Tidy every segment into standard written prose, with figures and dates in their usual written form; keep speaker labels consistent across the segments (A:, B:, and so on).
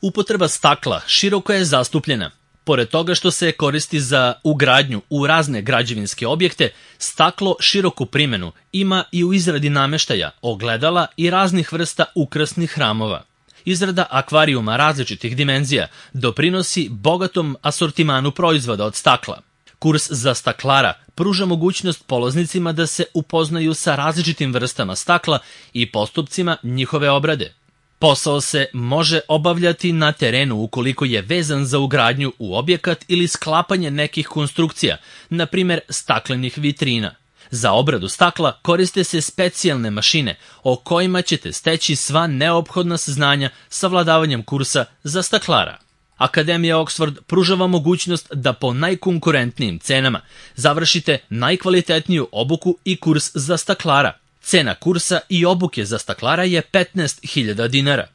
A: Upotreba stakla široko je zastupljena. Pored toga što se koristi za ugradnju u razne građevinske objekte, staklo široku primenu ima i u izradi nameštaja, ogledala i raznih vrsta ukrasnih hramova. Izrada akvarijuma različitih dimenzija doprinosi bogatom asortimanu proizvoda od stakla. Kurs za staklara pruža mogućnost polaznicima da se upoznaju sa različitim vrstama stakla i postupcima njihove obrade. Posao se može obavljati na terenu ukoliko je vezan za ugradnju u objekat ili sklapanje nekih konstrukcija, na primjer staklenih vitrina. Za obradu stakla koriste se specijalne mašine o kojima ćete steći sva neophodna saznanja savladavanjem kursa za staklara. Akademija Oxford pružava mogućnost da po najkonkurentnijim cenama završite najkvalitetniju obuku i kurs za staklara. Cena kursa i obuke za staklara je 15.000 dinara.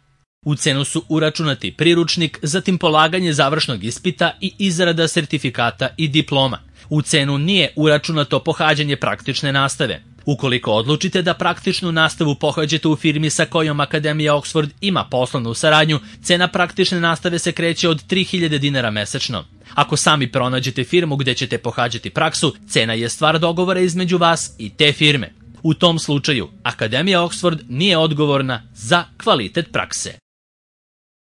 A: U cenu su uračunati priručnik, zatim polaganje završnog ispita i izrada sertifikata i diploma. U cenu nije uračunato pohađanje praktične nastave. Ukoliko odlučite da praktičnu nastavu pohađate u firmi sa kojom Akademija Oxford ima poslovnu saradnju, cena praktične nastave se kreće od 3.000 dinara mesečno. Ako sami pronađete firmu gde ćete pohađati praksu, cena je stvar dogovora između vas i te firme. U tom slučaju, Akademija Oxford nije odgovorna za kvalitet prakse.